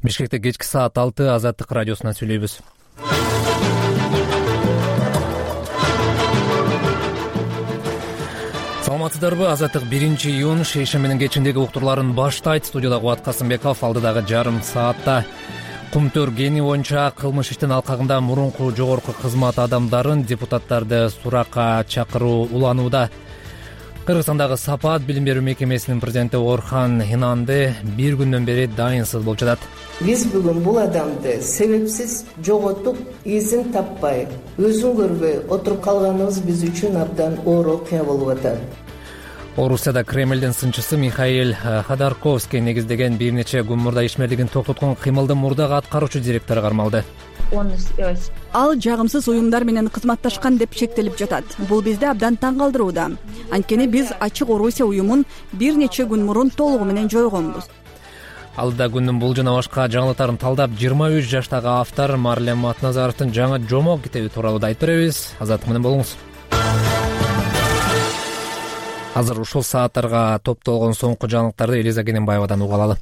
Бишкекте кечки саат 6 Азаттык радиосунан сүйлөйбүз. Саламатсыздарбы? Азаттык 1-июнь шейшембинин кечиндеги уктурларын баштайт. Студияда Кубат Касымбеков. Алдыдагы жарым саатта Кумтөр кени боюнча кылмыш иштин алкагында мурунку жогорку кызмат адамдарын депутаттарды суракка чакыруу уланууда. Кыргызстандагы Сапат билим берүү мекемесинин президенти Орхан Инанды бир күндөн бери дайынсыз болуп жатат. Биз бүгүн бул адамды себепсиз жоготуп, изин таппай, өзүн көрбөй отуруп калганыбыз биз үчүн абдан оор окуя болуп атат. Орусияда Кремлдин сынчысы Михаил Ходорковский негиздеген бир нече күн мурда ишмерлигин токтоткон кыймылдын мурдагы аткаруучу директору кармалды. Ал жагымсыз уюмдар менен кызматташкан деп шектелип жатат. Бул бизди абдан таң калтырууда. Анткени биз Ачык Орусия уюмун бир нече күн мурун толугу менен жойгонбуз. Алдыда күндүн бул жана башка жаңылыктарын талдап 23 жаштагы автор Марлем Атназаровдун жаңы жомок китеби тууралуу да айтып беребиз. Азаттык менен болуңуз. Азыр ушул сааттарга топтолгон соңку жаңылыктарды Элиза Кененбаевадан уга алалы.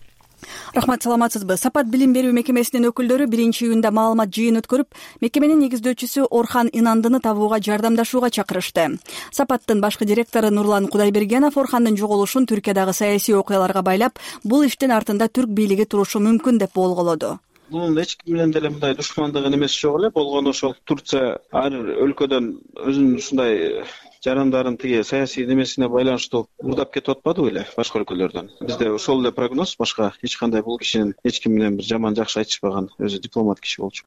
Рахмат, саламатсызбы? Сапат билим берүү мекемесинин өкүлдөрү 1-июнда маалымат жыйын өткөрүп, мекеменин негиздөөчүсү Орхан Инандыны табууга жардамдашууга чакырышты. Сапаттын башкы директору Нурлан Кудайбергенов Орхандын жоголушун Түркиядагы саясий окуяларга байлап, бул иштин артында түрк бийлиги турушу мүмкүн деп болголоду. Бунун эч ким менен деле мындай душмандык эмес жок эле. Болгону ошол Турция ар өлкөдөн өзүнүн ушундай жарандарын тиги саясий немесине байланыштуу мурдап кетип атпадыбы эле башка өлкөлөрдөн. Бизде ошол эле прогноз, башка эч кандай бул кишинин эч ким менен бир жаман жакшы айтышпаган, өзү дипломат киши болчу.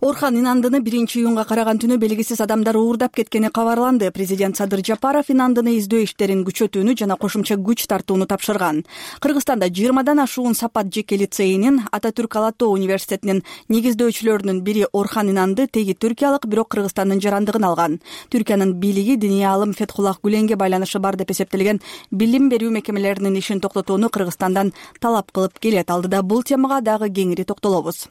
Орхан Инандыны 1-июнга караган түнү белгисиз адамдар уурдап кеткени кабарланды. Президент Садыр Жапаров Инандыны издөө иштерин күчөтүүнү жана кошумча күч тартууну тапшырган. Кыргызстанда 20дан ашуун Сапат жеке лицейинин, Ататүрк Ала Тоо университетинин негиздөөчүлөрүнүн бири Орхан Инанды теги түркиялык, бирок Кыргызстандын жарандыгын алган. Түркиянын бийлиги диний аалым Фетхуллах Гүленге байланышы бар деп эсептелген билим берүү мекемелеринин ишин токтотууну Кыргызстандан талап кылып келет. Алдыда бул темага дагы кеңири токтолобуз.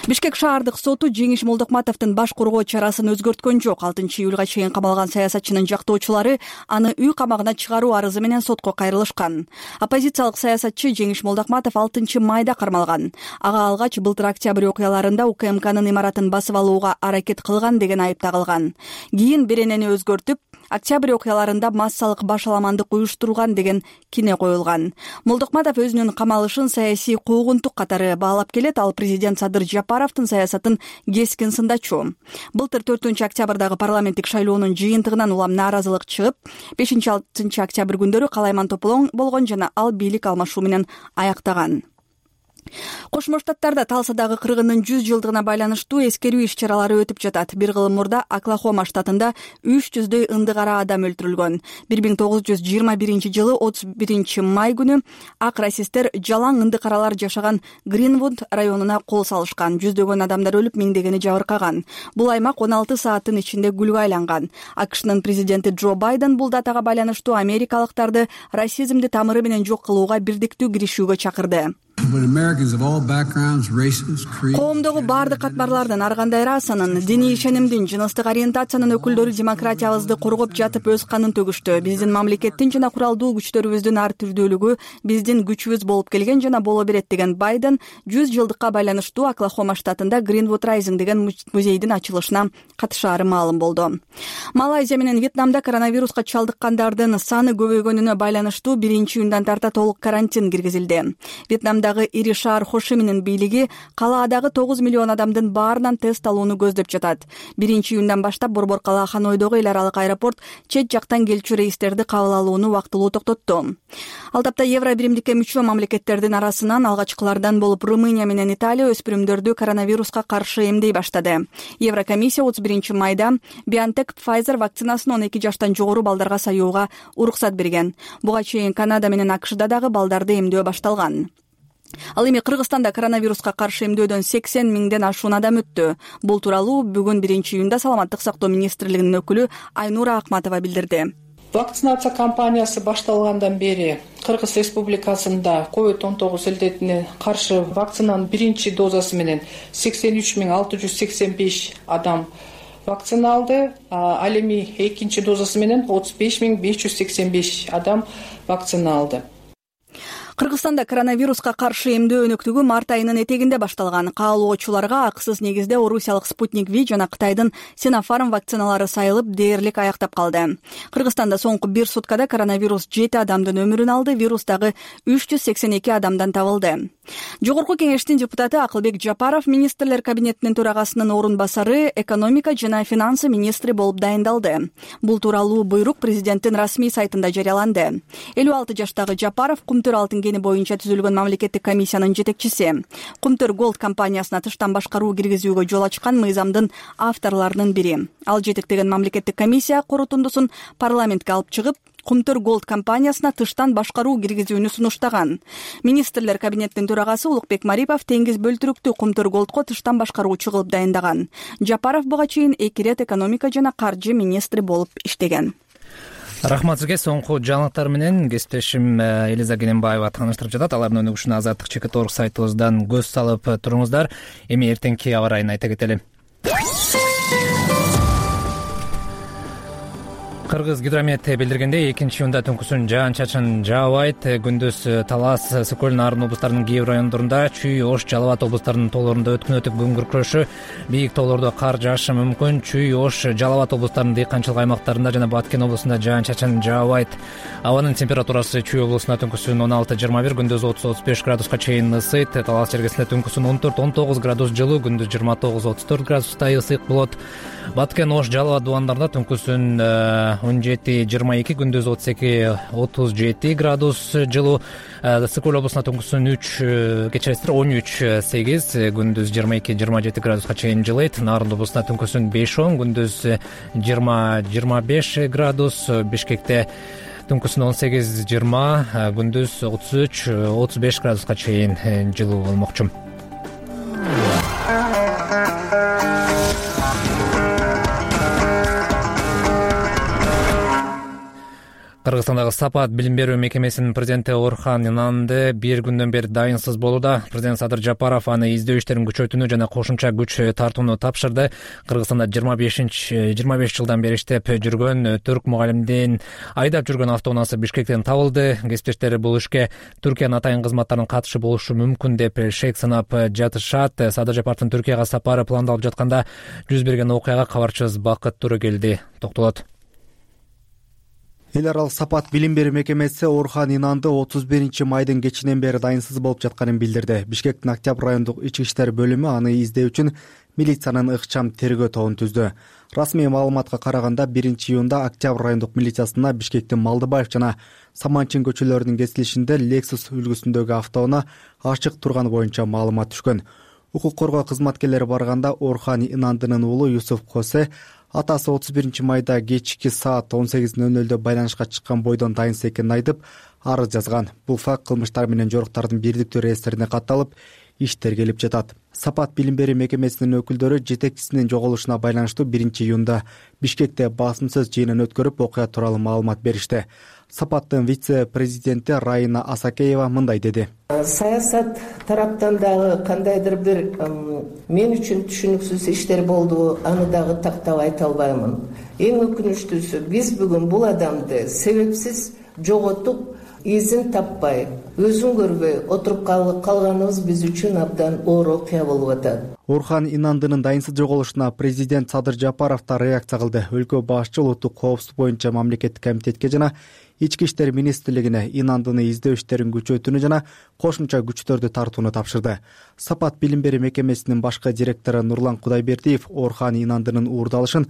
Бишкек шаардык соту Жеңиш Молдокматовдун баш коргоо чарасын өзгөрткөн жок. 6-июлга чейин камалган саясатчынын жактоочулары аны үй камагына чыгаруу арызы менен сотко кайрылышкан. Оппозициялык саясатчы Жеңиш Молдокматов 6-майда кармалган. Ага алгач былтыр октябрь окуяларында УКМКнын имаратын басып алууга аракет кылган деген айып тагылган. Кийин беренени өзгөртүп, октябрь окуяларында массалык башаламандык уюштурган деген кине коюлган. Молдокматов өзүнүн камалышын саясий куугунтук катары баалап келет. Ал президент Садыр Жапаровдун саясатын кескин сындачу. Былтыр 4-октябрдагы парламенттик шайлоонун жыйынтыгынан улам нааразылык чыгып, 5-6 октябрь күндөрү калайман тополоң болгон жана ал бийлик алмашуу менен аяктаган. Кошмо Штаттарда Талсадагы кыргындын 100 жылдыгына байланыштуу эскерүү иш-чаралары өтүп жатат. Бир кыл мурда Оклахома штатында 300дөй ындыгара адам өлтүрүлгөн. 1921 жылы 31 май күнү ак расисттер жалаң ындыкаралар жашаган Гринвуд районуна кол салышкан. Жүздөгөн адамдар өлүп, миңдегени жабыркаган. Бул аймак 16 сааттын ичинде гүлгө айланган. АКШнын президенти Джо Байден бул датага байланыштуу америкалыктарды расизмди тамыры менен жок кылууга бирдиктүү киришүүгө чакырды. Коомдогу бардык катмарлардын, ар кандай расанын, диний ишенимдин, жыныстык ориентациянын өкүлдөрү демократиябызды коргоп жатып өз канын төгүштү. Биздин мамлекеттин жана куралдуу күчтөрүбүздүн ар түрдүүлүгү биздин күчүбүз болуп келген жана боло берет деген Байден 100 жылдыкка байланыштуу Оклахома штатында Greenwood Rising деген музейдин ачылышына катышаары маалым болду. Малайзия менен Вьетнамда коронавируска чалдыккандардын саны көбөйгөнүнө байланыштуу 1-июндан тарта толук карантин киргизилди. Вьетнамдагы ири шаар Хошиминин бийлиги калаадагы 9 миллион адамдын баарынан тест алууну көздөп жатат. 1-июндан баштап Борбор кала Ханойдогу эл аралык аэропорт чет жактан келчү рейстерди кабыл алууну вактылуу токтотту. Ал тапта Евро биримдикке мүчө мамлекеттердин арасынан алгачкылардан болуп Румыния менен Италия өспүрүмдөрдү коронавируска каршы эмдей баштады. Еврокомиссия 31 майда BioNTech Pfizer вакцинасын 12 жаштан жогору балдарга саюуга уруксат берген. Буга чейин Канада менен АКШда дагы балдарды эмдөө башталган. Ал эми Кыргызстанда коронавируска каршы эмдөөдөн 80 миңден ашуун адам өттү. Бул тууралуу бүгүн 1-июнда Саламаттык сактоо министрлигинин өкүлү Айнура Акматова билдирди. Вакцинация кампаниясы башталгандан бери Кыргыз Республикасында COVID-19 илдетине каршы вакцинанын биринчи дозасы менен 83.685 адам вакцина алды. Ал эми экинчи дозасы менен 35.585 адам вакцина алды. Кыргызстанда коронавируска каршы эмдөө өнөктүгү март айынын этегинде башталган. Каалоочуларга акысыз негизде орусиялык Спутник V жана Кытайдын Синофарм вакциналары сайылып дээрлик аяктап калды. Кыргызстанда соңку 1 суткада коронавирус 7 адамдын өмүрүн алды, вирус дагы 382 адамдан табылды. Жогорку кеңештин депутаты Акылбек Жапаров министрлер кабинетинин төрагасынын орун басары, экономика жана финансы министри болуп дайындалды. Бул тууралуу буйрук президенттин расмий сайтында жарыяланды. 56 жаштагы Жапаров Кумтөр алтын кени боюнча түзүлгөн мамлекеттик комиссиянын жетекчиси. Кумтөр Голд компаниясына тыштан башкаруу киргизүүгө жол ачкан мыйзамдын авторлорунун бири. Ал жетектеген мамлекеттик комиссия корутундусун парламентке алып чыгып, Кумтөр Голд компаниясына тыштан башкаруу киргизүүнү сунуштаган. Министрлер кабинетинин төрагасы Улукбек Марипов теңиз бөлтүрүктүү Кумтөр Голдко тыштан башкаруучу кылып дайындаган. Жапаров буга чейин 2 ирет экономика жана каржы министри болуп иштеген. Рахмат сизге. Соңку жаңылыктар менен кесиптешим Элиза Кененбаева тааныштырып жатат. Алардын өнүгүшүнө Азаттык ЧК.org сайтыбыздан көз салып туруңуздар. Эми эртеңки аба ырайын айта кетели. Кыргыз гидромет билдиргендей, 2-июнда түнкүсүн жаан-чачын жаабайт. Күндүз Талас, Сокөл, Нарын облустарынын кээ бир райондорунда, Чүй, Ош, Жалал Абад облустарынын тоолорунда өткүн өтүп күн күркүрөшү, бийик тоолордо кар жаашы мүмкүн. Чүй, Ош, Жалал Абад облустарынын дыйканчылык аймактарында жана Баткен облусунда жаан-чачын жаабайт. Абанын температурасы Чүй облусунда түнкүсүн 16-21, күндүз 30-35 градуска чейин ысыйт. Талас жергесинде түнкүсүн 14-19 градус жылуу, күндүз 29-34 градустай ысык болот. Баткен, Ош, Жалал Абад дубандарында түнкүсүн 17-22, күндүз 32-37 градус жылуу. Сокөл облусунда түнкүсүн 13-8, күндүз 22-27 градуска чейин жылыйт. Нарын облусунда түнкүсүн 5-10, күндүз 20-25 градус. Бишкекте түнкүсүн 18-20, күндүз 33-35 градуска чейин жылуу болмокчу. Кыргызстандагы Сапат билим берүү мекемесинин президенти Орхан Инанды бир күндөн бери дайынсыз болууда. Президент Садыр Жапаров аны издөө иштерин күчөтүүнү жана кошумча күч тартууну тапшырды. Кыргызстанда 25 жылдан бери иштеп жүргөн түрк мугалимдин айдап жүргөн автоунаасы Бишкектен табылды. Кесиптештери бул ишке Түркиянын атайын кызматтарынын катышы болушу мүмкүн деп шек санап жатышат. Садыр Жапаровдун Түркияга сапары пландалып жатканда жүз берген окуяга кабарчыбыз Бакыт Турегелди токтолот. Эл аралык Сапат билим берүү мекемеси Орхан Инанды 31-майдын кечинен бери дайынсыз болуп жатканын билдирди. Бишкектин Октябрь райондук ички иштер бөлүмү аны издөө үчүн милициянын ыкчам тергөө тобун түздү. Расмий маалыматка караганда 1-июнда Октябрь райондук милициясына Бишкектин Малдыбаев жана Саманчин көчөлөрүнүн кесилишинде Lexus үлгүсүндөгү автоунаа ачык турганы боюнча маалымат түшкөн. Укук коргоо кызматкерлери барганда Орхан Инандынын уулу Юсуф Косе атасы 31-майда кечки саат 18:00 байланышка чыккан бойдон дайынсыз экенин айтып, арыз жазган. Бул факт кылмыштар менен жоруктардын бирдиктүү реестрине катталып, иш тергелип жатат. Сапат билим берүү мекемесинин өкүлдөрү жетекчисинин жоголушуна байланыштуу 1-июнда Бишкекте басымсыз жыйынын өткөрүп, окуя тууралуу маалымат беришти. Сапаттын вице-президенти Райна Асакеева мындай деди. Саясат тараптан дагы кандайдыр бир мен үчүн түшүнүксүз иштер болду, аны дагы тактап айта албаймын. Эң өкүнүчтүүсү, биз бүгүн бул адамды себепсиз жоготуп, изин таппай, өзүн көрбөй отуруп калганыбыз биз үчүн абдан оор окуя болуп атат. Орхан Инандынын дайынсыз жоголушуна президент Садыр Жапаров да реакция кылды. Өлкө башчы улуттук коопсуздук боюнча мамлекеттик комитетке жана Ички иштер министрлигине Инандыны издөө иштерин күчөтүүнү жана кошумча күчтөрдү тартууну тапшырды. Сапат билим берүү мекемесинин башкы директору Нурлан Кудайбердиев Орхан Инандынын уурдалышын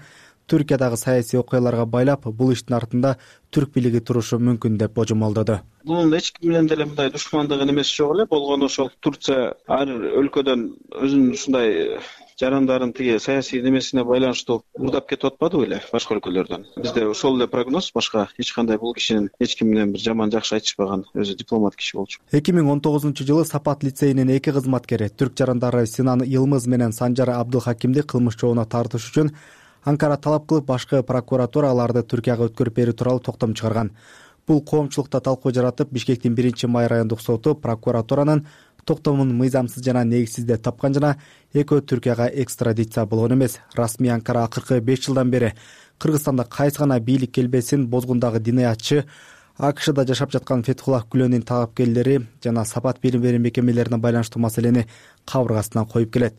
Түркиядагы саясий окуяларга байлап, бул иштин артында түрк бийлиги турушу мүмкүн деп божомолдоду. Бунун эч ким менен деле мындай душмандык эмес жок эле. Болгону ошол Турция ар өлкөдөн өзүнүн ушундай жарандарын тиги саясий немесине байланыштуу уурдап кетип атпадыбы эле башка өлкөлөрдөн. Бизде ошол эле прогноз, башка эч кандай бул кишинин эч ким менен бир жаман жакшы айтышпаган, өзү дипломат киши болчу. 2019-жылы Сапат лицейинин 2 кызматкери түрк жарандары Синан Йылмыз менен Санжар Абдылхакимди кылмыш жообуна тартыш үчүн Анкара талап кылып, башкы прокуратура аларды Түркияга өткөрүп берүү тууралуу токтом чыгарган. Бул коомчулукта талкуу жаратып, Бишкектин 1-май райондук соту прокуратуранын токтомун мыйзамсыз жана негизсиз деп тапкан жана экөө Түркияга экстрадиция болгон эмес. Расмий Анкара акыркы 5 жылдан бери Кыргызстанда кайсы гана бийлик келбесин бозгундагы диниятчы АКШда жашап жаткан Фетхуллах Гүленин талапкерлери жана Сапат билим берүү мекемелерине байланыштуу маселени кабыргасынан коюп келет.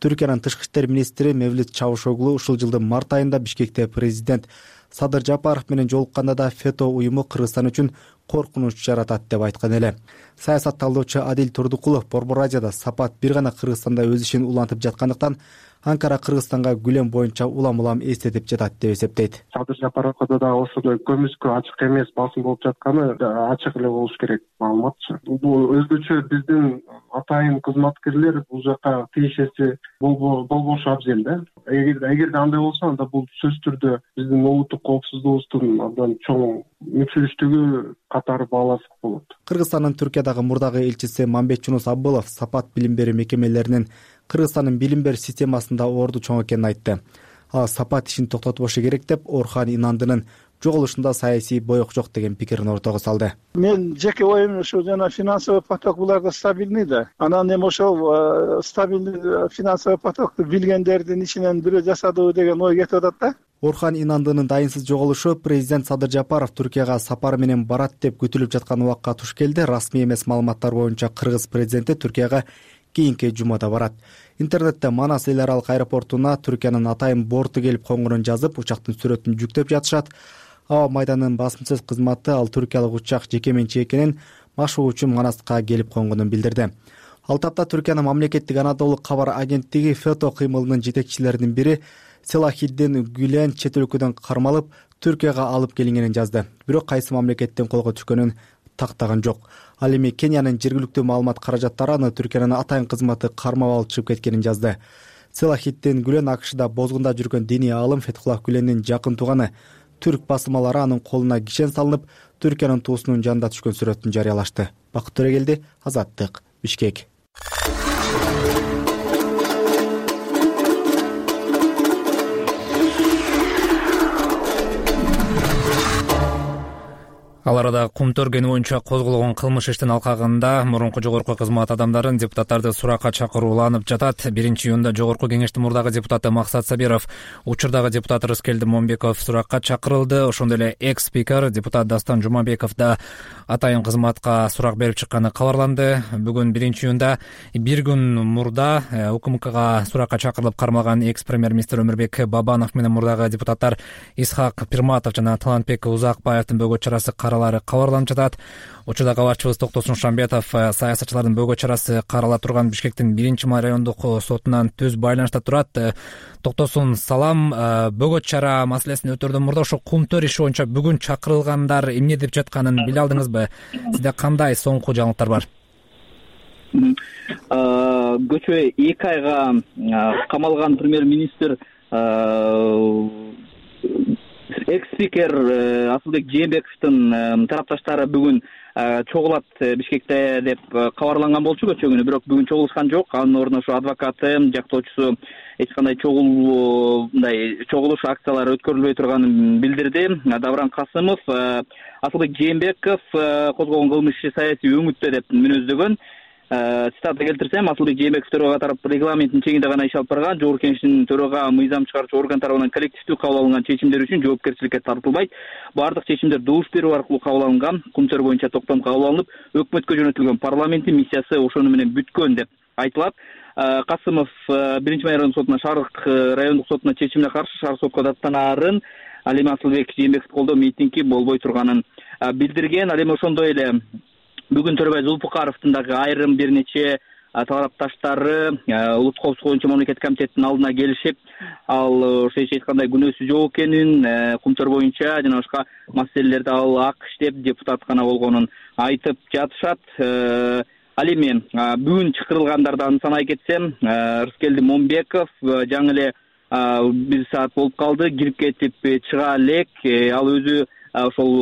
Түркиянын тышкы иштер министри Мевлют Чавушоглу ушул жылдын март айында Бишкекте президент Садыр Жапаров менен жолукканда да фето уюму Кыргызстан үчүн коркунуч жаратат деп айткан эле. Саясат талдоочу Адил Турдукулов Борбор Азияда Сапат бир гана Кыргызстанда өз ишин улантып жаткандыктан Анкара Кыргызстанга Гүлен боюнча улам эстетип жатат деп эсептейт. Садыр Жапаровго да ошондой көмүскө ачык эмес басым болуп жатканы ачык эле болуш керек маалыматчы. Бул өзгөчө биздин атайын кызматкерлер бул жака тиешеси болбошу абзел да. Эгерде андай болсо, анда бул сөзсүз түрдө биздин улуттук коопсуздугубуздун абдан чоң мүчүлүштүгү катары бааласык болот. Кыргызстандын Түркиядагы мурдагы элчиси Мамбетжунус Аббылов Сапат билим берүү мекемелеринин Кыргызстандын билим берүү системасында орду чоң экенин айтты. Ал Сапат ишин токтотбошу керек деп Орхан Инандынын жоголушунда саясий боек жок деген пикирин ортого салды. Мен жеке оюм ушу жана финансовый поток буларда стабилдий да. Анан эми ошол стабилдий финансовый потокту билгендердин ичинен бирөө жасадыбы деген ой кетип атат да. Орхан Инандынын дайынсыз жоголушу президент Садыр Жапаров Түркияга сапар менен барат деп күтүлүп жаткан убакка туш келди. Расмий эмес маалыматтар боюнча Кыргыз президенти Түркияга кийинки жумада барат. Интернетте Манас эл аралык аэропортуна Түркиянын атайын борту келип конгонун жазып, учактын сүрөтүн жүктөп жатышат. Аба майданынын басымсыз кызматы ал түркиялык учак жеке менчик экенин машыгуу үчүн Манаска келип конгонун билдирди. Ал тапта Түркиянын мамлекеттик Анадолу кабар агенттиги фето кыймылынын жетекчилеринин бири Селахиддин Гүлен чет өлкөдөн кармалып Түркияга алып келингенин жазды. Бирок кайсы мамлекеттен колго түшкөнүн тактаган жок. Ал эми Кениянын жергиликтүү маалымат каражаттары аны Түркиянын атайын кызматы кармап алып чыгып кеткенин жазды. Селахиддин Гүлен АКШда бозгунда жүргөн диний аалым Фетхуллах Гүленин жакын тууганы. Түрк басылмалары анын колуна кишен салынып, Түркиянын туусунун жанында түшкөн сүрөтүн жарыялашты. Бакыт Төрегелди, Азаттык, Бишкек. Ал арада Кумтөр кени боюнча козголгон кылмыш иштин алкагында мурунку жогорку кызмат адамдарын депутаттарды суракка чакырууланып жатат. 1-июнда жогорку кеңештин мурдагы депутаты Максат Сабиров, учурдагы депутат Рыскелди Момбеков суракка чакырылды. Ошондой эле экс-спикер депутат Дастан Жумабеков да атайын кызматка сурак берип чыкканы кабарланды. Бүгүн 1-июнда бир күн мурда УКМКга суракка чакырылып кармалган экс-премьер-министр Өмүрбек Бабанов менен мурдагы депутаттар Исхак Пирматов жана Талантбек Узакбаевдин бөгөт чарасы кабарланып жатат. Учурда кабарчыбыз Токтосун Шамбетов саясатчылардын бөгөт чарасы карала турган Бишкектин 1-май райондук сотунан түз байланышта турат. Токтосун, салам. Бөгөт чара маселесин өтөрдөн мурда ошо Кумтөр иши боюнча бүгүн чакырылгандар эмне деп жатканын биле алдыңызбы? Сизде кандай соңку жаңылыктар бар? Көчө 2 айга камалган премьер-министр экс-спикер Асылбек Жээнбековдун тарапташтары бүгүн чогулат Бишкекте деп кабарланган болчу көчө күнү, бирок бүгүн чогулушкан жок. Анын ордуна ошо адвокаты, жактоочусу эч кандай чогулуш акциялары өткөрүлбөй турганын билдирди. Давран Касымов Асылбек Жээнбеков козгогон кылмыш иши саясий өңүттө деп мүнөздөгөн. Цитата келтирсем, Асылбек Жээнбеков төрага тарап регламенттин чегинде гана иш алып барган, жогорку кеңештин төрага мыйзам чыгаруучу орган тарабынан коллективдүү кабыл алынган чечимдер үчүн жоопкерчиликке тартылбайт. Бардык чечимдер добуш берүү аркылуу кабыл алынган. Кумтөр боюнча токтом кабыл алынып, өкмөткө жөнөтүлгөн парламенттин миссиясы ошону менен бүткөн деп айтылат. Касымов 1-май райондук сотуна, Шарык райондук сотуна чечимине каршы шаар сотко даттанаарын, ал эми Асылбек Жээнбековду колдоо митинги болбой турганын билдирген. Ал эми ошондой эле бүгүн Төрөбай Зулпукаровдун дагы айрым бир нече тарапташтары улуттук коопсуздук боюнча мамлекеттик комитеттин алдына келишип, ал ошо эч айткандай күнөөсү жок экенин, Кумтөр боюнча жана башка маселелерде ал АКШ деп депутат гана болгонун айтып жатышат. Ал эми бүгүн чакырылгандарды санай кетсем, Рыскелди Момбеков жаңы эле 1 саат болуп калды, кирип кетип чыга элек. Ал өзү ошол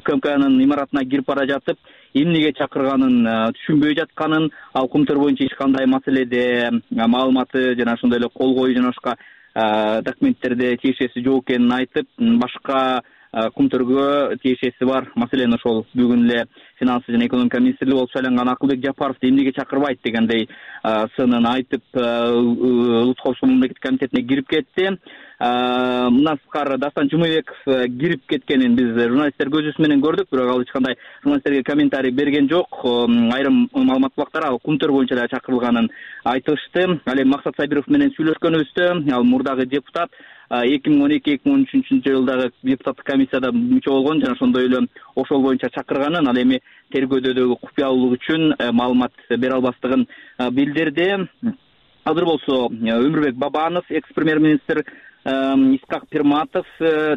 УКМКнын имаратына кирип бара жатып, эмнеге чакырганын түшүнбөй жатканын, ал Кумтөр боюнча эч кандай маселеде маалыматы жана ошондой эле кол коюу жана башка документтерде тиешеси жок экенин айтып, башка Кумтөргө тиешеси бар. Маселен ошол бүгүн эле финансы жана экономика министри болуп шайланган Акылбек Жапаровду эмнеге чакырбайт дегендей сынын айтып Улуттук коопсуздук мамлекеттик комитетине кирип кетти. Мындан сырткары Дастан Жумабеков кирип кеткенин биз журналисттер көзүбүз менен көрдүк, бирок ал эч кандай журналисттерге комментарий берген жок. Айрым маалымат бактар ал Кумтөр боюнча эле чакырылганын айтышты. Ал эми Максат Сабиров менен сүйлөшкөнүбүздө ал мурдагы депутат 2012-2013 жылдагы депутаттык комиссияда мүчө болгон жана ошондой эле ошол боюнча чакырганын, ал эми тергөөдөгү купуялуулук үчүн маалымат бере албастыгын билдирди. Азыр болсо Өмүрбек Бабанов, экс-премьер-министр, Исхак Пирматов,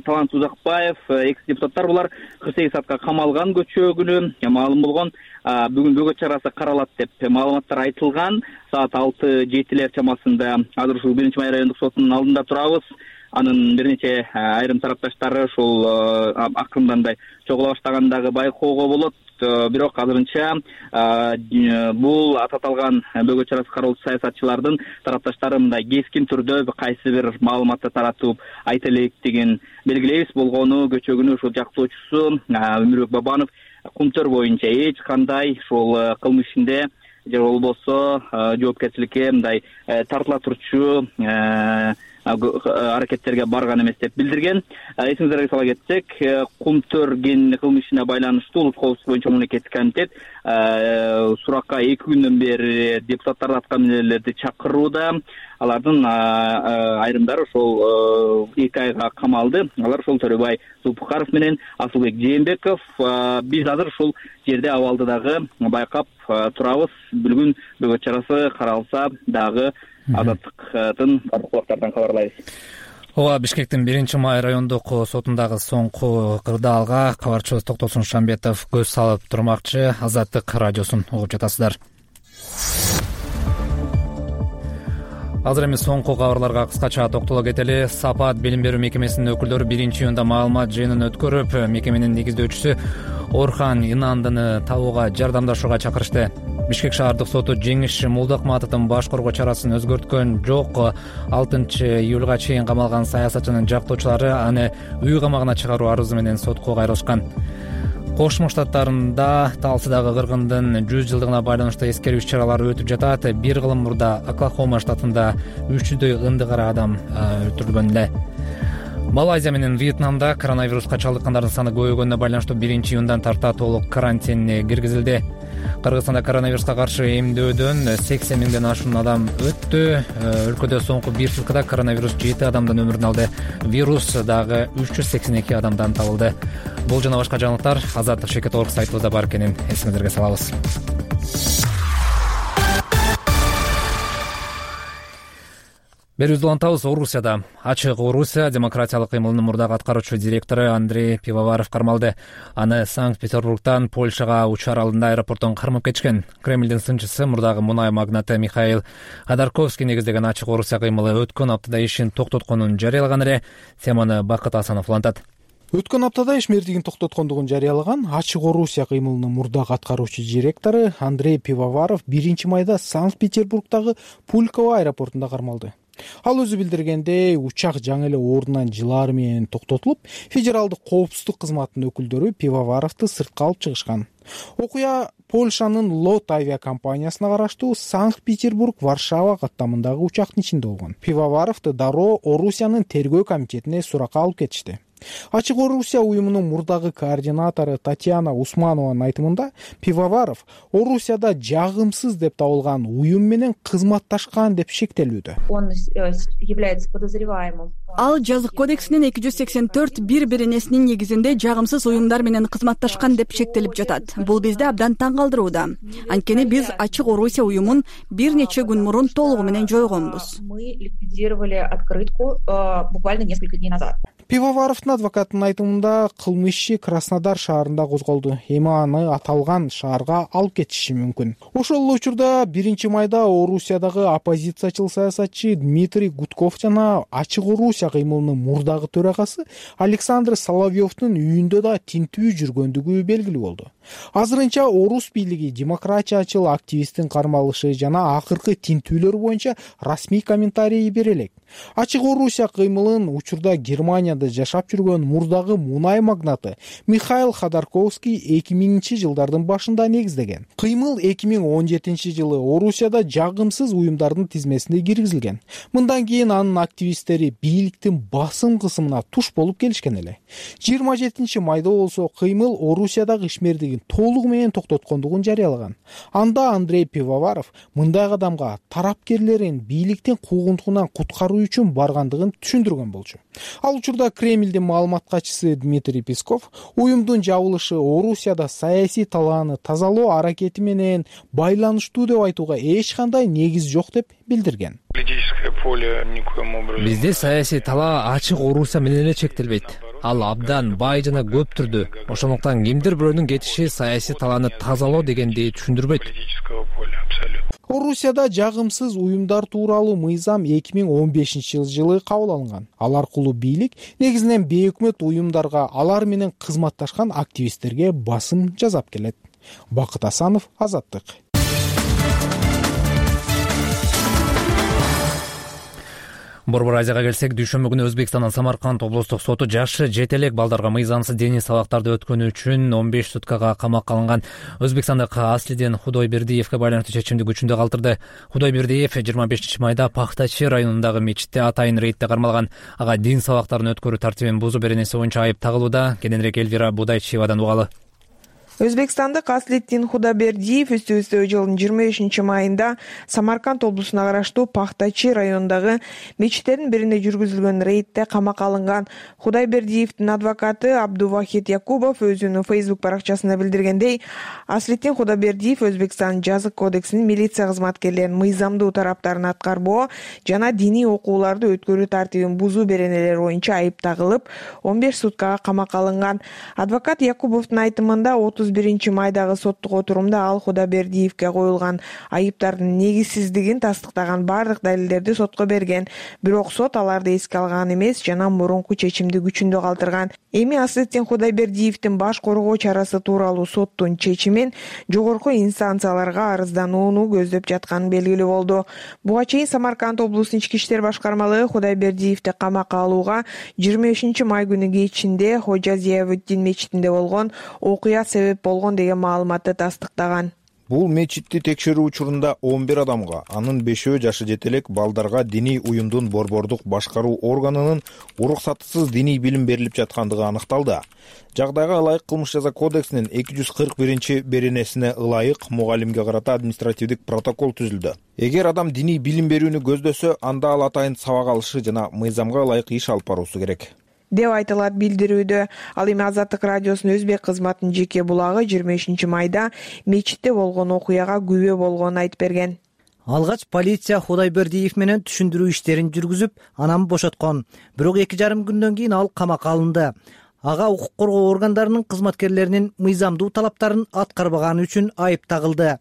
Талант Узакбаев, экс-депутаттар булар 48 саатка камалган көчөгүнү маалым болгон. Бүгүн бөгөт чарасы каралат деп маалыматтар айтылган. Саат 6-7 чамасында азыр ушул 1-Май райондук сотунун алдында турабыз. Анын бир нече айрым тарапташтары ушул акырындан мындай чогула баштагандагы байкоого болот. Бирок азырынча бул аталган бөгөт чарасы каралуучу саясатчылардын тарапташтары мындай кескин түрдө кайсы бир маалыматты таратып айта электигин белгилейбиз. Болгону көчөгүнү ушул жактоочусу Өмүрбек Бабанов Кумтөр боюнча эч кандай ушул кылмыш ишинде же болбосо жоопкерчиликке мындай тартыла турчу аракеттерге барган эмес деп билдирген. Эсиңиздерге сала кетсек, Кумтөр кылмыш ишине байланыштуу Улуттук коопсуздук боюнча мамлекеттик комитет суракка 2 күндөн бери депутаттарды аткаминерлерди чакырууда. Алардын айрымдары ошол 2 айга камалды. Алар ошол Төрөбай Зулпукаров менен Асылбек Жээнбеков. Биз азыр ушул жерде абалды дагы байкап турабыз. Бүгүн бөгөт чарасы каралса дагы Азаттыктын барлыктардан кабарлайбыз. Ооба, Бишкектин 1-Май райондук сотундагы соңку кырдаалга кабарчыбыз Токтосун Шамбетов көз салып турмакчы. Азаттык радиосун угуп жатасыздар. Азыр эми соңку кабарларга кыскача токтоло кетели. Сапат билим берүү мекемесинин өкүлдөрү 1-июнда маалымат жыйынын өткөрүп, мекеменин негиздөөчүсү Орхан Инандыны табууга жардамдашууга чакырышты. Бишкек шаардык соту Жеңиш Мулдакматовдун баш коргоо чарасын өзгөрткөн жок. 6-июлга чейин камалган саясатчынын жактоочулары аны үй камагына чыгаруу арызы менен сотко кайрылышкан. Кошмо Штаттарында Талсыдагы кыргындын 100 жылдыгына байланыштуу эскерүү иш-чаралары өтүп жатат. Бир кылым мурда Оклахома штатында 300дөй ынды кара адам өлтүрүлгөн эле. Малайзия менен Вьетнамда коронавируска чалдыккандардын саны көбөйгөнүнө байланыштуу 1-июндан тарта толук карантин киргизилди. Кыргызстанда коронавируска каршы эмдөөдөн 80 миңден ашуун адам өттү. Өлкөдө соңку 1 суткада коронавирус 7 адамдын өмүрүн алды. Вирус дагы 382 адамдан табылды. Бул жана башка жаңылыктар Азаттык Шекет Орг сайтыбызда бар экенин эсиңиздерге салабыз. Берүүбүздү улантабыз. Орусияда Ачык Орусия демократиялык кыймылынын мурдагы аткаруучу директору Андрей Пивоваров кармалды. Аны Санкт-Петербургтан Польшага учуу аралында аэропорттон кармап кетишкен. Кремлдин сынчысы мурдагы мунай магнаты Михаил Ходорковский негиздеген Ачык Орусия кыймылы өткөн аптада ишин токтотконун жарыялаган эле. Теманы Бакыт Асанов улантат. Өткөн аптада ишмердигин токтоткондугун жарыялаган Ачык Орусия кыймылынын мурдагы аткаруучу директору Андрей Пивоваров 1-майда Санкт-Петербургдагы Пульково аэропортунда кармалды. Ал өзү билдиргендей, учак жаңы эле ордунан жылаары менен токтотулуп, федералдык коопсуздук кызматынын өкүлдөрү Пивоваровду сыртка алып чыгышкан. Окуя Польшанын Лот авиакомпаниясына караштуу Санкт-Петербург-Варшава каттамындагы учактын ичинде болгон. Пивоваровду дароо Орусиянын тергөө комитетине суракка алып кетишти. Ачык Орусия уюмунун мурдагы координатору Татьяна Усманованын айтымында, Пивоваров Орусияда жагымсыз деп табылган уюм менен кызматташкан деп шектелүүдө. Он является подозреваемым. Ал жазык кодексинин 284 бир-биринесинин негизинде жагымсыз уюмдар менен кызматташкан деп шектелип жатат. Бул бизди абдан таң калтырууда. Анткени биз Ачык Орусия уюмун бир нече күн мурун толугу менен жойгонбуз. Мы ликвидировали открытку буквально несколько дней назад. Пивоваровдун адвокатынын айтымында кылмыш иши Краснодар шаарында козголду. Эми аны аталган шаарга алып кетиши мүмкүн. Ошол эле учурда 1-майда Орусиядагы оппозициячыл саясатчы Дмитрий Гудков жана Ачык Орусия кыймылынын мурдагы төрагасы Александр Соловьевдун үйүндө да тинтүү жүргөндүгү белгилүү болду. Азырынча Орус бийлиги демократиячыл активисттин кармалышы жана акыркы тинтүүлөр боюнча расмий комментарий бере элек. Ачык Орусия кыймылын учурда Германияда жашап жүргөн мурдагы мунай магнаты Михаил Ходорковский 2000-жылдардын башында негиздеген. Кыймыл 2017-жылы Орусияда жагымсыз уюмдардын тизмесине киргизилген. Мындан кийин анын активисттери бийликтин басым кысымына туш болуп келишкен эле. 27 майда болсо кыймыл Орусиядагы ишмердигин толугу менен токтоткондугун жарыялаган. Анда Андрей Пивоваров мындай кадамга тарапкерлерин бийликтин куугунтугунан куткаруу үчүн баргандыгын түшүндүргөн болчу. Ал учурда Кремлдин маалымат катчысы Дмитрий Песков уюмдун жабылышы Орусияда саясий талааны тазалоо аракети менен байланыштуу деп айтууга эч кандай негиз жок деп билдирген. Бизде саясий талаа ачык Орусия менен эле чектелбейт. Ал абдан бай жана көп түрдүү. Ошондуктан кимдир бирөөнүн кетиши саясий талааны тазалоо дегенди түшүндүрбөйт. Орусияда жагымсыз уюмдар тууралуу мыйзам 2015-жылы кабыл алынган. Ал аркылуу бийлик негизинен бейөкмөт уюмдарга алар менен кызматташкан активисттерге басым жасап келет. Бакыт Асанов, Азаттык. Борбор Азияга келсек, дүйшөмбү күнү Өзбекстандын Самарканд облустук соту жашы жетелек балдарга мыйзамсыз диний сабактарды өткөнү үчүн 15 суткага камакка алынган өзбекстандык Аслиден Худойбердиевге байланыштуу чечимди күчүндө калтырды. Худойбердиев 25 майда Пахтачи районундагы мечитте атайын рейдде кармалган. Ага дин сабактарын өткөрүү тартибин бузуу беренеси боюнча айып тагылууда. Кененирээк Элвира Будайчиевадан угалы. Өзбекстандык Аслиддин Худойбердиев өстө жылдын 25 майында Самарканд облусуна караштуу Пахтачи районундагы мечиттердин бирине жүргүзүлгөн рейдде камакка алынган. Худойбердиевдин адвокаты Абдувахид Якубов өзүнүн Facebook баракчасында билдиргендей, Аслиддин Худойбердиев Өзбекстан жазык кодексинин милиция кызматкерлеринин мыйзамдуу тараптарын аткарбоо жана диний окууларды өткөрүү тартибин бузуу беренелери боюнча айып тагылып, 15 суткага камакка алынган. Адвокат Якубовдун айтымында 31 майдагы соттук отурумда ал Худойбердиевге коюлган айыптардын негизсиздигин тастыктаган бардык далилдерди сотко берген. Бирок сот аларды эске алган эмес жана мурунку чечимди күчүндө калтырган. Эми Аслиддин Худойбердиевдин баш коргоо чарасы тууралуу соттун чечимин жогорку инстанцияларга арызданууну көздөп жатканы белгилүү болду. Буга чейин Самарканд облусунун ички иштер башкармалыгы Худойбердиевди камакка алууга 25 май күнү кечинде Хожа Зиявуддин мечитинде болгон окуя себеп болгон деген маалыматты тастыктаган. Бул мечитти текшерүү учурунда 11 адамга, анын 5-өө жашы жетелек балдарга диний уюмдун борбордук башкаруу органынын уруксатсыз диний билим берилип жаткандыгы аныкталды. Жагдайга ылайык кылмыш жаза кодексинин 241 беренесине ылайык мугалимге карата административдик протокол түзүлдү. Эгер адам диний билим берүүнү көздөсө, анда ал атайын сабак алышы жана мыйзамга ылайык иш алып баруусу керек деп айтылат билдирүүдө. Ал эми Азаттык радиосунун өзбек кызматынын жеке булагы 25 майда мечитте болгон окуяга күбө болгонун айтып берген. Алгач полиция Худойбердиев менен түшүндүрүү иштерин жүргүзүп, анан бошоткон. Бирок 2,5 күндөн кийин ал камакка алынды. Ага укук коргоо органдарынын кызматкерлеринин мыйзамдуу талаптарын аткарбаганы үчүн айып тагылды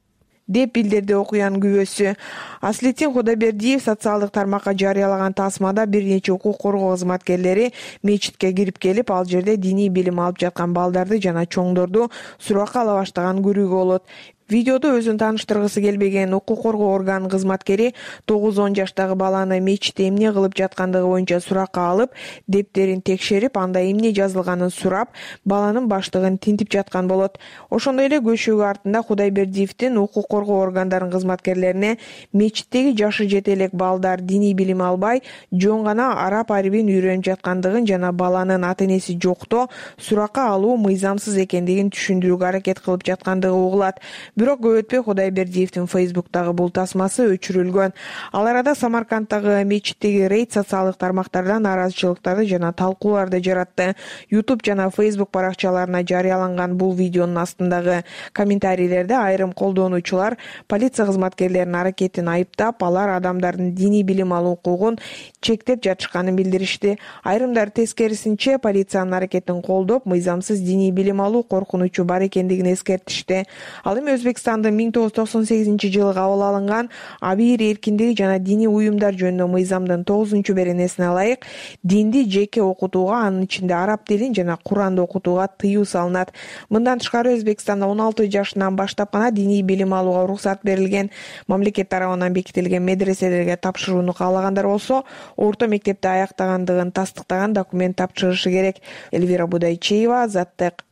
деп билдирди окуянын күбөсү. Аслиддин Худойбердиев социалдык тармакка жарыялаган тасмада бир нече укук коргоо кызматкерлери мечитке кирип келип, ал жерде диний билим алып жаткан балдарды жана чоңдорду суракка ала баштаган көрүүгө болот. Видеодо өзүн тааныштыргысы келбеген укук коргоо органынын кызматкери 9-10 жаштагы баланы мечитте эмне кылып жаткандыгы боюнча суракка алып, дептерин текшерип, анда эмне жазылганын сурап, баланын баштыгын тинтип жаткан болот. Ошондой эле көшөгү артында Худойбердиевдин укук коргоо органдарынын кызматкерлерине мечиттеги жашы жетелек балдар диний билим албай, жөн гана араб арбин үйрөнүп жаткандыгын жана баланын ата-энеси жокто суракка алуу мыйзамсыз экендигин түшүндүрүүгө аракет кылып жаткандыгы угулат. Бирок көп өтпөй Худойбердиевдин Facebook'тагы бул тасмасы өчүрүлгөн. Ал арада Самаркандтагы мечиттеги рейд социалдык тармактарда нааразычылыктарды жана талкууларды жаратты. YouTube жана Facebook баракчаларына жарыяланган бул видеонун астындагы комментарийлерде айрым колдонуучулар полиция кызматкерлеринин аракетин айыптап, алар адамдардын диний билим алуу укугун чектеп жатышканын билдиришти. Айрымдар тескерисинче полициянын аракетин колдоп, мыйзамсыз диний билим алуу коркунучу бар экендигин эскертишти. Ал эми Өзбекстандын 1998-жылы кабыл алынган абийир эркиндиги жана диний уюмдар жөнүндө мыйзамдын 9-беренесине ылайык динди жеке окутууга, анын ичинде араб тилин жана Куранды окутууга тыюу салынат. Мындан тышкары Өзбекстанда 16 жашынан баштап гана диний билим алууга уруксат берилген. Мамлекет тарабынан бекитилген медреселерге тапшырууну каалагандар болсо, орто мектепти аяктагандыгын тастыктаган документ тапшырышы керек. Эльвира Будайчеева, Азаттык.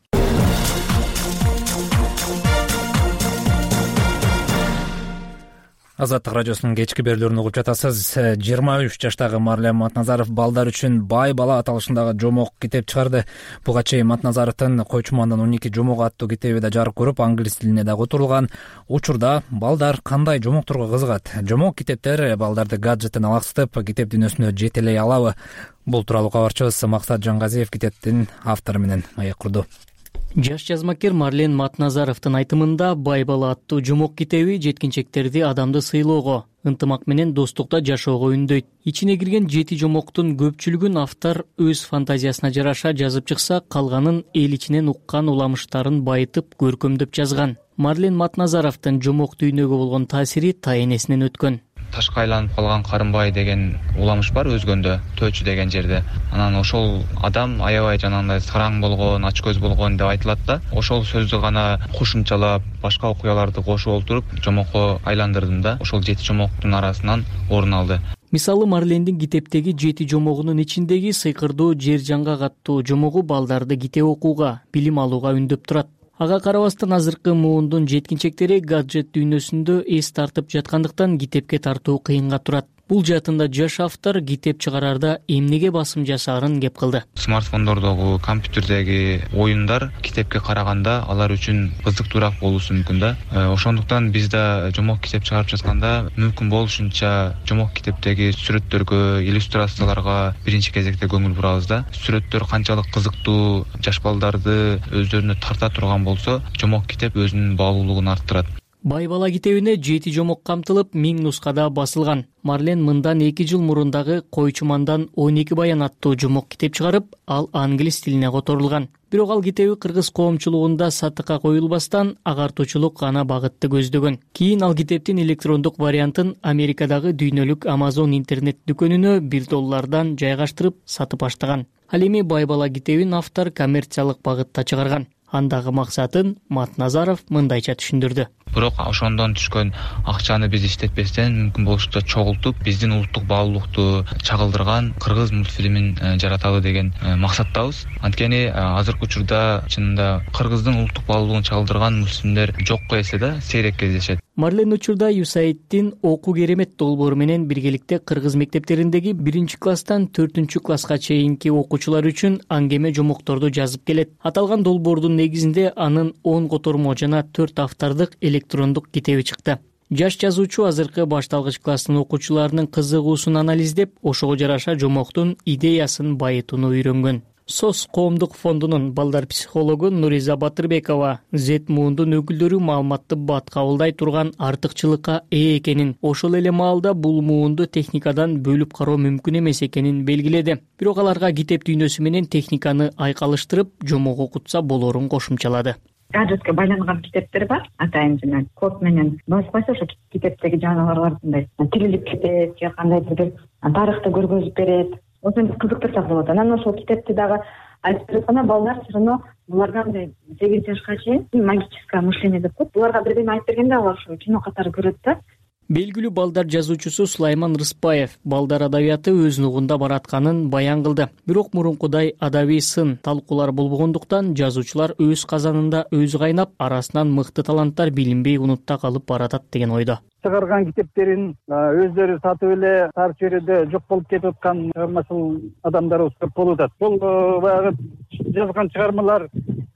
Азаттык радиосунун кечки берүүлөрүн угуп жатасыз. 23 жаштагы Марлен Матназаров балдар үчүн бай бала аталышындагы жомок китеп чыгарды. Буга чейин Матназаровдун Койчумандан 12 жомок аттуу китеби да жарык көрүп, англис тилине да которулган. Учурда балдар кандай жомокторго кызыгат? Жомок китептер балдарды гаджеттен алаксытып, китеп дүйнөсүнө жетелей алабы? Бул тууралуу кабарчыбыз Максат Жангазиев китептин автору менен маек курду. Жаш жазмакер Марлен Матназаровдун айтымында бай бала аттуу жомок китеби жеткинчектерди адамды сыйлоого, ынтымак менен достукта жашоого үндөйт. Ичине кирген 7 жомоктун көпчүлүгүн автор өз фантазиясына жараша жазып чыкса, калганын эл ичинен уккан уламыштарын байытып, көркөмдөп жазган. Марлен Матназаровдун жомок дүйнөгө болгон таасири тайэнесинен өткөн. Ташка айланып калган Карымбай деген уламыш бар өзгөндө, Төөчү деген жерде. Анан ошол адам аябай жанагындай сараң болгон, ачкөз болгон деп айтылат да. Ошол сөздү гана кошумчалап, башка окуяларды кошуп олтуруп, жомокко айландырдым да. Ошол 7 жомоктун арасынан орун алды. Мисалы, Марлендин китептеги 7 жомогунун ичиндеги Сыйкырдуу жер жаңгак аттуу жомогу балдарды китеп окууга, билим алууга үндөп турат. Ага карабастан азыркы муундун жеткинчектери гаджет дүйнөсүндө эс тартып жаткандыктан китепке тартуу кыйынга турат. Бул жаатында жаш автор китеп чыгарарда эмнеге басым жасаарын кеп кылды. Смартфондордогу, компьютердеги оюндар китепке караганда алар үчүн кызыктуураак болуусу мүмкүн да. Ошондуктан биз да жомок китеп чыгарып жатканда мүмкүн болушунча жомок китептеги сүрөттөргө, иллюстрацияларга биринчи кезекте көңүл бурабыз да. Сүрөттөр канчалык кызыктуу, жаш балдарды өздөрүнө тарта турган болсо, жомок китеп өзүнүн баалуулугун арттырат. Бай бала китебине 7 жомок камтылып, 1000 нускада басылган. Марлен мындан 2 жыл мурундагы Койчумандан 12 баян аттуу жомок китеп чыгарып, ал англис тилине которулган. Бирок ал китеби кыргыз коомчулугунда сатыкка коюлбастан, агартуучулук гана багытты көздөгөн. Кийин ал китептин электрондук вариантын Америкадагы дүйнөлүк Amazon интернет дүкөнүнө $1 жайгаштырып сатып баштаган. Ал эми бай бала китебин автор коммерциялык багытта чыгарган. Андагы максатын Матназаров мындайча түшүндүрдү. Бирок ошондон түшкөн акчаны биз иштетпестен мүмкүн болушунча чогултуп, биздин улуттук баалуулукту чагылдырган кыргыз мультфильмин жараталы деген максаттабыз. Анткени азыркы учурда чынында кыргыздын улуттук баалуулугун чагылдырган мультфильмдер жокко эсе да, сейрек кездешет. Марлен учурда USAID-тин Окуу керемет долбоору менен биргеликте кыргыз мектептериндеги 1-класстан 4-класска чейинки окуучулар үчүн аңгеме жомокторду жазып келет. Аталган долбоордун негизинде анын 10 котормо жана 4 автордук электрондук китеби чыкты. Жаш жазуучу азыркы башталгыч класстын окуучуларынын кызыгуусун анализдеп, ошого жараша жомоктун идеясын байытууну үйрөнгөн. СОС коомдук фондунун балдар психологу Нуриза Батырбекова Z муундун өкүлдөрү маалыматты бат кабылдай турган артыкчылыкка ээ экенин, ошол эле маалда бул муунду техникадан бөлүп кароо мүмкүн эмес экенин белгиледи. Бирок аларга китеп дүйнөсү менен техниканы айкалыштырып, жомок окутса болорун кошумчалады. Гаджетке байланган китептер бар, атайын жана код менен басып койсо ошо китептеги жаныбарлардындай тирилип кетет же кандайдыр бир тарыхты көргөзүп берет. Ошентип кызыктырсак болот. Анан ошол китепти дагы айтып жатканда балдар все равно буларга мындай 8 жашка чейин магическое мышление деп коет. Буларга бирдеме айтып бергенде алар ошо кино катары көрөт да. Белгилүү балдар жазуучусу Сулайман Рыспаев балдар адабияты өз нугунда баратканын баян кылды. Бирок мурункудай адабий сын, талкуулар болбогондуктан жазуучулар өз казанында өзү кайнап, арасынан мыкты таланттар билинбей унутта калып баратат деген ойдо. Чыгарган китептерин өздөрү сатып эле тар чөйрөдө жок болуп кетип аткан чыгармачыл адамдарыбыз көп болуп атат. Бул баягы жазган чыгармалар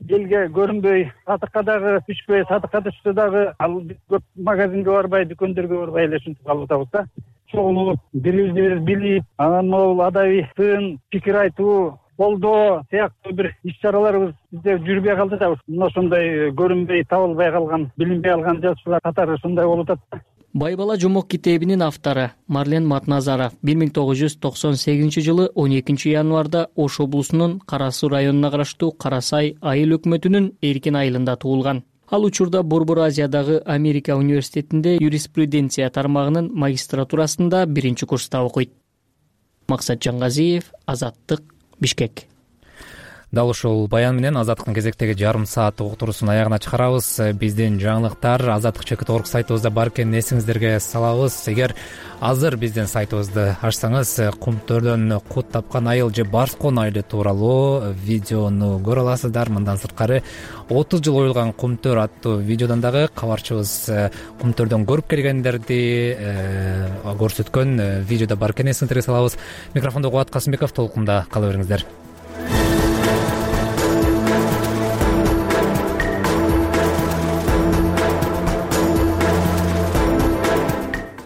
элге көрүнбөй, сатыкка дагы түшпөй, сатыкка түшсө дагы ал көп магазинге барбай, дүкөндөргө барбай эле ушинтип калып атабыз да. Чогулуп, бири-бирибизди билип, анан могул адабий сын, пикир айтуу, колдоо сыяктуу бир иш-чараларыбыз бизде жүрбөй калды да. Ошондой көрүнбөй, табылбай калган, билинбей калган жазуучулар катары ушундай болуп атат. Бай бала жомок китебинин автору Марлен Матназаров 1998 жылы 12 январда Ош облусунун Кара Суу районуна караштуу Кара Сай айыл өкмөтүнүн Эркин айылында туулган. Ал учурда Борбор Азиядагы Америка университетинде юриспруденция тармагынын магистратурасында 1-курста окуйт. Максат Жангазиев, Азаттык, Бишкек. Дал ушул баян менен Азаттыктын кезектеги жарым саат уктуруусун аягына чыгарабыз. Биздин жаңылыктар azattik.org сайтыбызда бар экенин эсиңиздерге салабыз. Эгер азыр биздин сайтыбызды ачсаңыз, кумтөрдөн кут тапкан айыл же барскон айылы тууралуу видеону көрө аласыздар. Мындан сырткары 30 жыл оюлган кумтөр аттуу видеодон дагы кабарчыбыз кумтөрдөн көрүп келгендерди көрсөткөн видеодо бар экенин эсиңиздерге салабыз. Микрофондо Кубат Касымбеков, толкунда кала бериңиздер.